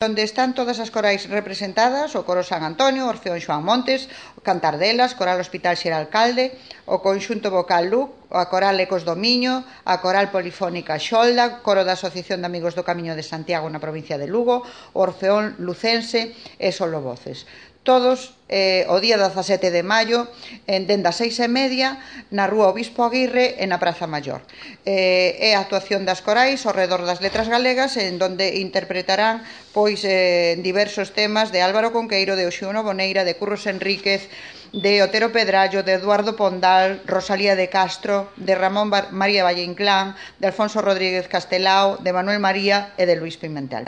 onde están todas as corais representadas: o Coro San Antonio, o Orfeón Xoán Montes, o Cantardelas, Coral Hospital Xeralcalde, o Conxunto Vocal Luc, a Coral Ecos do Miño, a Coral Polifónica Xolda, Coro da Asociación de Amigos do Camiño de Santiago na provincia de Lugo, o Orfeón Lucense e Solovoces. Todos o día 17 de maio, dende as 6:30, na Rúa Obispo Aguirre e na Praza Maior. É a actuación das corais ao redor das letras galegas, en donde interpretarán diversos temas de Álvaro Conqueiro, de Oxiuno Boneira, de Curros Enríquez, de Otero Pedrallo, de Eduardo Pondal, Rosalía de Castro, de Ramón María Valle Inclán, de Alfonso Rodríguez Castelao, de Manuel María e de Luis Pimentel.